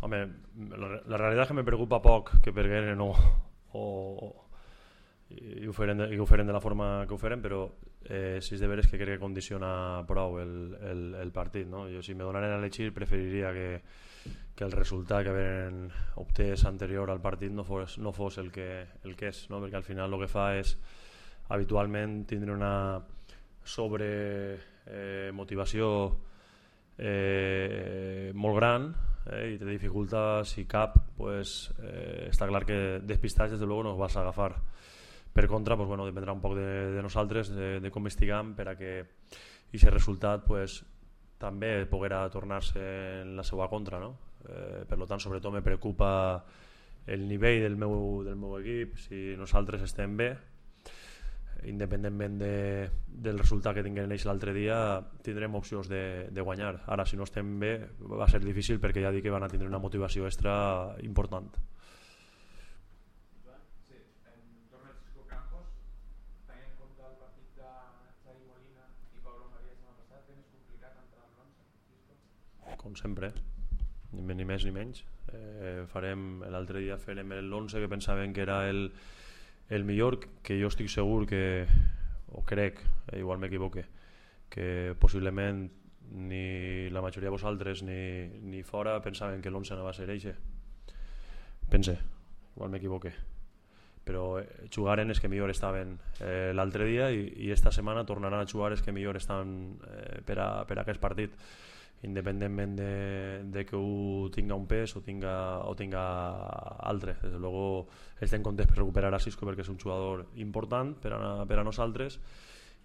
home, la realitat és que me preocupa poc que pergueren i ho feren de la forma que ho feren, però si és de veres que crec que condiciona prou el partit, no? Jo, si me donaren a elegir, preferiria que el resultat que haveren obtès anterior al partit no fos el que és, no? Perquè al final el que fa és habitualment tindre una sobremotivació molt gran, i te dificulta, si cap, pues, està clar que despistats des de luego no vas a agafar. Per contra, pues, bueno, dependrà un poc de nosaltres, de com estiguem, per a que aquest resultat, pues, també poguera tornar-se en la seva contra, no? Per tant, sobretot me preocupa el nivell del meu equip. Si nosaltres estem bé, independentment del resultat que tinguem ells l'altre dia, tindrem opcions de guanyar. Ara, si no estem bé, va ser difícil, perquè ja dic que van a tindre una motivació extra important. Sí, en torno al Cisco Campos, tenint en compte el partit de Xavi Molina i Pablo María el setmana passat, és complicat entrar en l'11, com sempre, ni més ni menys. L'altre dia farem l'11 que pensaven que era el millor, que jo estic segur que, o crec, igual m'equivoque, que possiblement ni la majoria de vosaltres ni fora pensaven que l'11 anava a ser eixe. Pense, igual m'equivoque, però jugaren els que millor estaven l'altre dia, i esta setmana tornaran a jugar els que millor estan per a aquest partit, independentment de que ho tinga un pes o tinga altre. Des de luego estem contents per recuperar a Cisco, perquè és un jugador important per a nosaltres,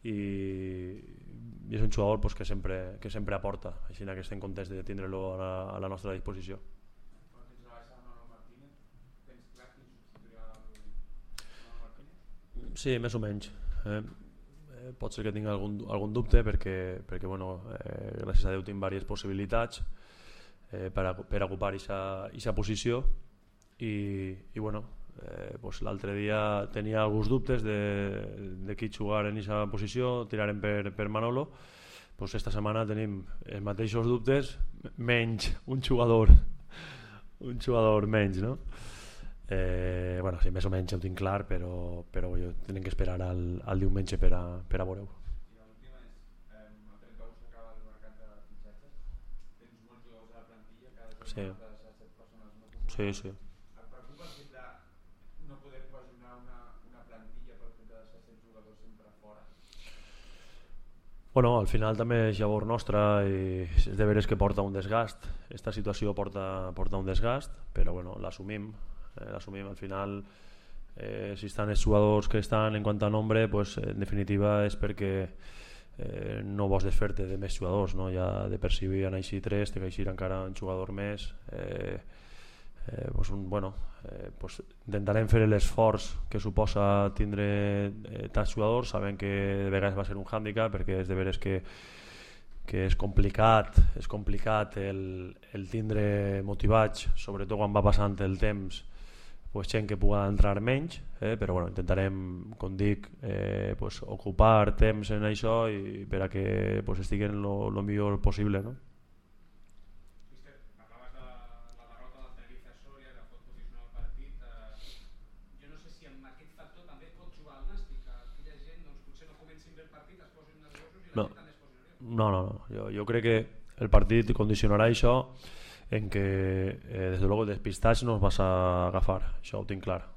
i és un jugador, pues, que sempre aporta, així que estem contents de tindre-lo a la nostra disposició. Sí, més o menys. Pot ser que tingui algun dubte, perquè bueno, gràcies a Déu tinc diverses possibilitats per a ocupar aquesta posició, i bueno, pues l'altre dia tenia alguns dubtes de qui jugar en aquesta posició. Tirarem per Manolo. Pues esta setmana tenim els mateixos dubtes, menys un jugador menys, no? Bueno, sí, més o menys ho tinc clar, però tenim que esperar al diumenge per a veure-ho. I l'última és, el 31 s'acaba el mercat de fitxatges, tens molts jugadors a la plantilla, cada jornada de 7 persones no convocades. Sí. Et preocupa el fet de no poder cohesionar una plantilla pel fet de deixar 7 jugadors sempre fora? Bueno, al final també és llavor nostra, i és de veres que porta un desgast. Esta situació porta un desgast, però bueno, l'assumim. Al final, si estan els jugadors que estan en quant a nombre, pues, en definitiva és perquè no vols desfer-te de més jugadors, no? Ja de per si han eixit 3, té que eixir encara un jugador més. Pues intentarem fer l'esforç que suposa tindre tants jugadors, sabent que de vegades va ser un hàndicap, perquè és de veres que és complicat el tindre motivats, sobretot quan va passant el temps, pues, gent que pugui entrar menys, però bueno, intentarem, com dic, pues, ocupar temps en això, i per a que, pues, estiguen lo millor possible, no? Mister, parlaves de la derrota del Tenerife a Sòria, que pot posicionar el partit. Jo no sé si amb aquest factor també pot jugar el Nàstic, que aquella gent, doncs, potser no comencin bé el partit, es posin nerviosos i la gent també es posi nerviosa. No. Jo crec que el partit condicionarà això, en que des de luego despistats no els vas a agafar, això ho tinc clar.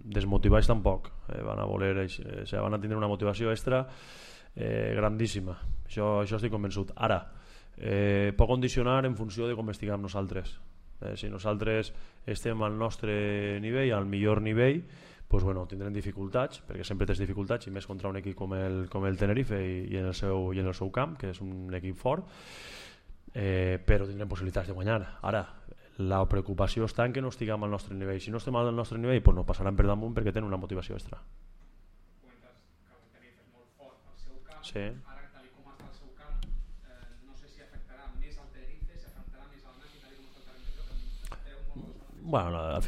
Desmotivats tampoc, van a tindre una motivació extra grandíssima, això estic convençut. Ara, pot condicionar en funció de com estiguem nosaltres. Si nosaltres estem al nostre nivell, al millor nivell, pues bueno, tindrem dificultats, perquè sempre tens dificultats, i més contra un equip com el Tenerife, i en el seu camp, que és un equip fort, però tindrem possibilitats de guanyar. Ara, la preocupació està en que no estiguem al nostre nivell. Si no estem al nostre nivell, pues no passaran per damunt, perquè tenen una motivació extra. Comentes que el Tenerife és molt fort al seu camp. Sí. Ara, tal com està el seu camp, no sé si afectarà més al Tenerife, si afectarà més al Nàstic, tal com està el terreny de joc, Bueno, al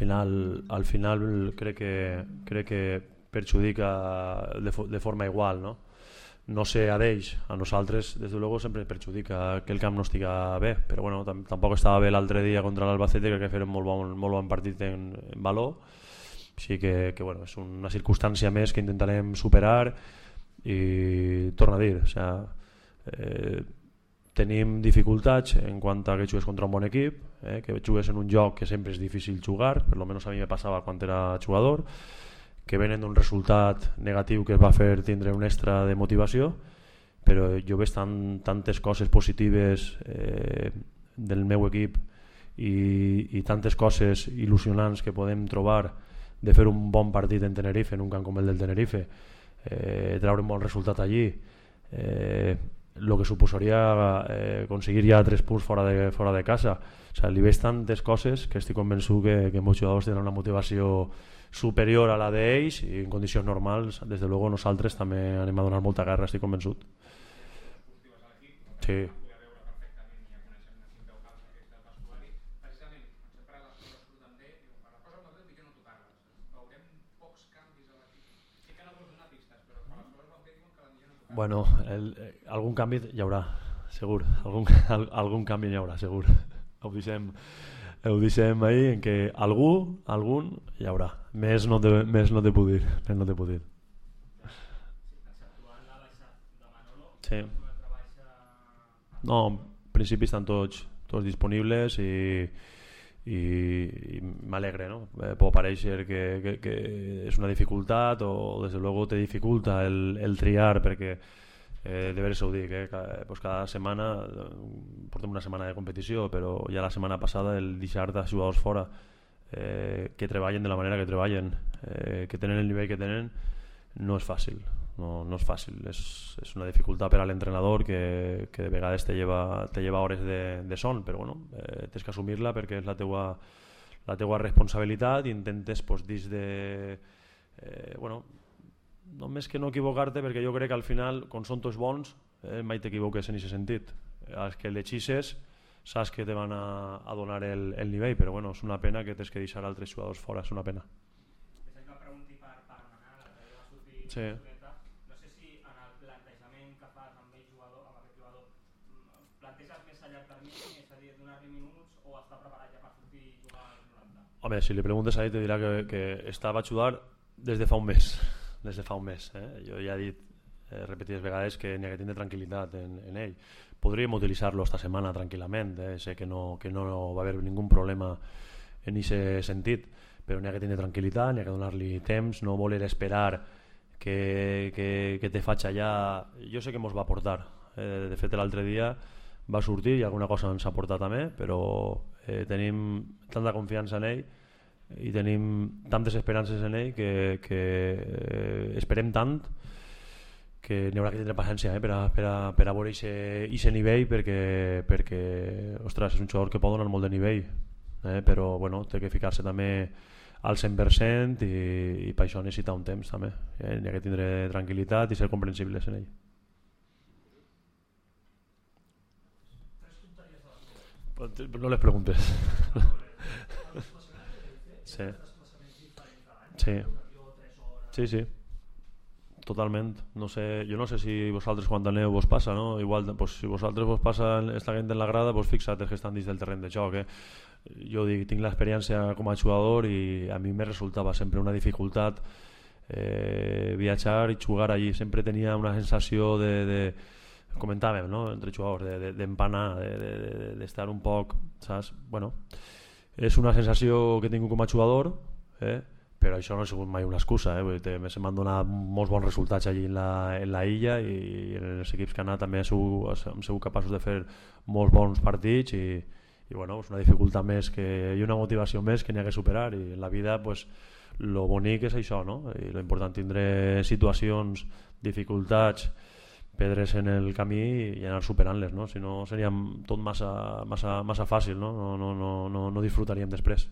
final crec que perjudica de forma igual, no? no sé a d'ells, a nosaltres des de luego sempre perjudica que el camp no estiga bé, però bueno, tampoc estava bé l'altre dia contra l'Albacete, crec que feren molt bon partit en valor, així que bueno, és una circumstància més que intentarem superar i torno a dir, o sea, tenim dificultats en quant a que jugues contra un bon equip, que jugues en un joc que sempre és difícil jugar, per lo menos a mi me passava quan era jugador, que venen d'un resultat negatiu que es va fer tindre un extra de motivació, però jo veig tantes coses positives del meu equip i tantes coses il·lusionants que podem trobar de fer un bon partit en Tenerife, en un camp com el del Tenerife, treure un bon resultat allí, el que suposaria aconseguir ja 3 punts fora de casa. O sigui, li veig tantes coses que estic convençut que molts jugadors tenen una motivació superior a la d'ells i en condicions normals, des de luego nosaltres també anem a donar molta guerra, estic convençut. Sí. Bueno, algun canvi hi haurà, segur. Algun canvi hi haurà, segur. Ho deixem ahí en que algun hi haurà. Més no te puc dir. Sí. No, en principi estan tots disponibles i m'alegre, no? Pot parèixer que és una dificultat o des de luego te dificulta el triar perquè de veres ho dic, pues cada setmana portem una setmana de competició, però ja la setmana passada el deixar de jugadors fora que treballen de la manera que treballen, que tenen el nivell que tenen, no és fàcil. No és fàcil, és una dificultat per a l'entrenador que de vegades te lleva hores de son, però bueno, tens que assumir-la perquè és la teua responsabilitat i intentes pues, dins de bueno, només que no equivocar-te, perquè jo crec que al final quan són tots bons mai t'equivoques en aquest sentit, els que l'hexisses saps que te van a donar el nivell, però bueno, és una pena que tens que deixar altres jugadors fora, és una pena. Sí. Home, si li preguntes a ell te dirà que estava a jugar des de fa un mes. Jo ja he dit repetides vegades que n'hi ha que tindre tranquil·litat en ell. Podríem utilitzar-lo esta setmana tranquil·lament, sé que no va haver ningú problema en aquest sentit, però n'hi ha que tindre tranquil·litat, n'hi ha que donar-li temps, no voler esperar que te faig allà. Jo sé que mos va aportar, de fet l'altre dia va sortir i alguna cosa ens ha portat també, però tenim tanta confiança en ell i tenim tantes esperances en ell que esperem tant que n'hi haurà que tindre paciència per a veure aquest nivell perquè ostres, és un jugador que pot donar molt de nivell, però bueno, té que ficar-se també al 100% i per això necessita un temps també, n'hi ha que tindre tranquil·litat i ser comprensibles en ell. No les preguntes. Sí. Totalment. No sé, jo no sé si vosaltres quan aneu vos passa, no? Igual, pues, si vosaltres vos passa esta gent en la grada, pues fixa't que estan dins del terreny de joc. Jo dic, tinc l'experiència com a jugador i a mi me resultava sempre una dificultat viatjar i jugar allí. Sempre tenia una sensació de comentàvem, no? Entre jugadors, d'empanar, d'estar un poc, saps? Bueno, és una sensació que tinc com a jugador, però això no ha sigut mai una excusa, m'han donat molts bons resultats allí en la illa i en els equips que han anat també hem sigut capaços de fer molts bons partits i bueno, és una dificultat més i una motivació més que n'hi ha que superar i en la vida pues, lo bonic és això, no? I lo important tindre situacions, dificultats, pedres en el camí i anar superant-les, no? Si no seria tot massa fàcil, no? No disfrutaríem després.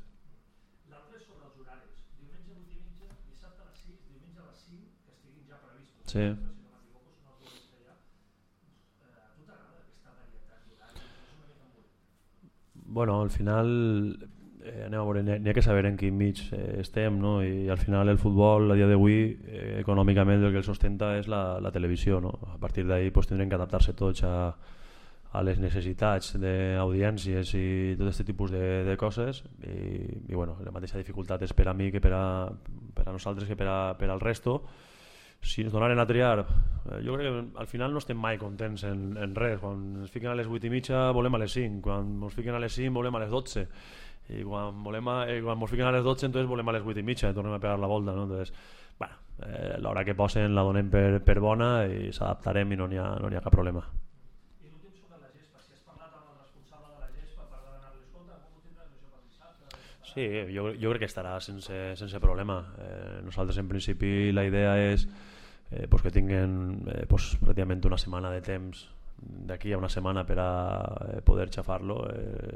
L'altre és sobre els horaris. Diumenge 8 i mitja, dissabte a les 6, diumenge a les 5, que estiguin ja previstos. Sí. Si no m'equivoco, són els horaris que hi ha. A tu t'agrada aquesta varietat d'horaris? És una mica molt. Bueno, al final anem a veure, n'hi ha que saber en quin mig estem, no? I al final el futbol a dia d'avui econòmicament el que el sostenta és la televisió, no? A partir d'ahí pues, tindrem que adaptar-se tots a les necessitats d'audiències i tot aquest tipus de coses i bueno, la mateixa dificultat és per a mi que per a nosaltres que per al resto. Si ens donaren a triar, jo crec que al final no estem mai contents en res. Quan ens fiquen a les 8:30 volem a les 5, quan ens fiquen a les 5 volem a les 12 i quan ens fiquen a les 12 entonces volem a les 8:30 i tornem a pegar la volta, no? Entonces, bueno, l'hora que posen la donem per bona i s'adaptarem i no n'hi ha cap problema. I l'últim sobre la gespa, si has parlat amb el responsable de la gespa per demanar-li escolta, com ho tindràs això per dissabte? Sí, jo crec que estarà sense problema. Nosaltres en principi la idea és que tinguin pràcticament una setmana de temps d'aquí a una setmana per a poder xafar-lo.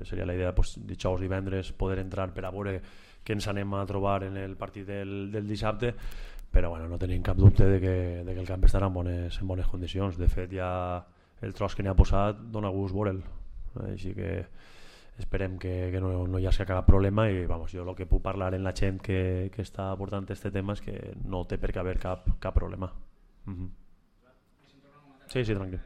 Seria la idea dijous i divendres poder entrar per a veure què ens anem a trobar en el partit del dissabte, però bueno, no tenim cap dubte de que el camp estarà en bones condicions. De fet ja el tros que n'hi ha posat dona gust veure'l, així que esperem que no hi hagi cap problema i vamos, jo el que puc parlar en la gent que està portant aquest tema és que no té per què haver cap problema. Sí, tranquil.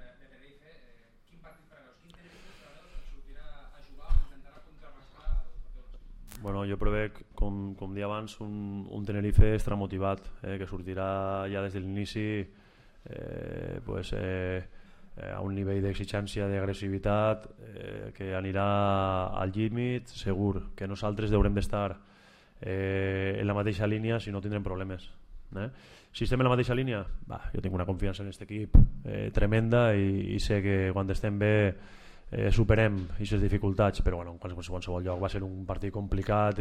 Quin partit preveus? Quin Tenerife preveus que sortirà a jugar o intentarà contrarrestar el partit? Bueno, jo prevec, com dia abans, un Tenerife extramotivat, que sortirà ja des de l'inici a un nivell d'exigència, d'agressivitat, que anirà al límit, segur que nosaltres haurem d'estar en la mateixa línia, si no tindrem problemes. Si estem en la mateixa línia, jo tinc una confiança en aquest equip tremenda i sé que quan estem bé superem aquestes dificultats, però bueno, en qualsevol lloc va ser un partit complicat,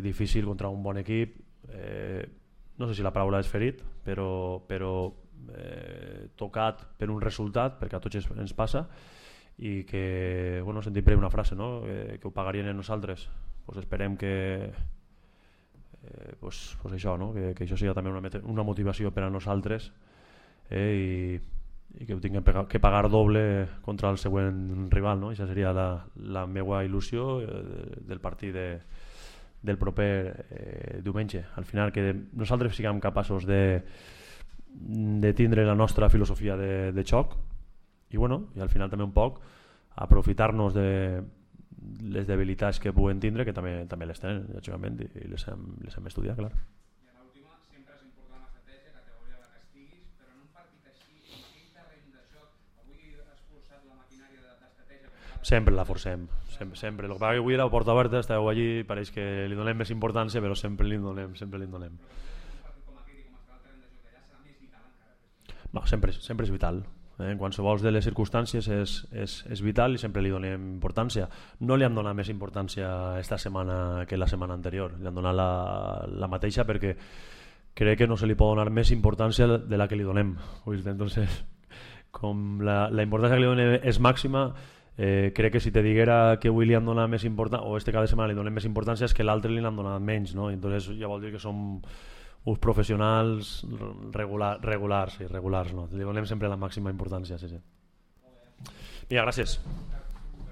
difícil contra un bon equip, no sé si la paraula és ferit, però tocat per un resultat, perquè a tots ens passa, i que sentim per una frase, no? Que ho pagarien en nosaltres. Esperem que això, no? Que això sigui també una motivació per a nosaltres i que ho tinguem que pagar doble contra el següent rival, no? Això seria la meva il·lusió del partit del proper diumenge. Al final que nosaltres siguem capaços de tindre la nostra filosofia de xoc i al final també un poc aprofitar-nos de les debilitats que puguen tindre, que també les tenen, lògicament, i les hem estudiat, clar. I a l'última, sempre és important l'estratègia, categoria de la que estiguis, però en un partit així, en aquell terreny de joc, avui has forçat la maquinària d'estratègia? Sempre la forcem, sempre. El que passa que avui era la porta oberta, esteu allí, pareix que li donem més importància, però sempre li donem. Però un partit com aquell i com estarà el terreny de joc d'allà serà més vital encara? Sempre és vital. En qualsevol de les circumstàncies és vital i sempre li donem importància. No li han donat més importància esta setmana que la setmana anterior, li han donat la mateixa perquè crec que no se li pot donar més importància de la que li donem. Entonces, com la importància que li donem és màxima, crec que si te diguera que avui li han donat més importància o este cada setmana li donem més importància és que l'altre li han donat menys, no? Entonces ja vol dir que som uns professionals regulars, no? Li donem sempre la màxima importància. Sí. Vinga, gràcies.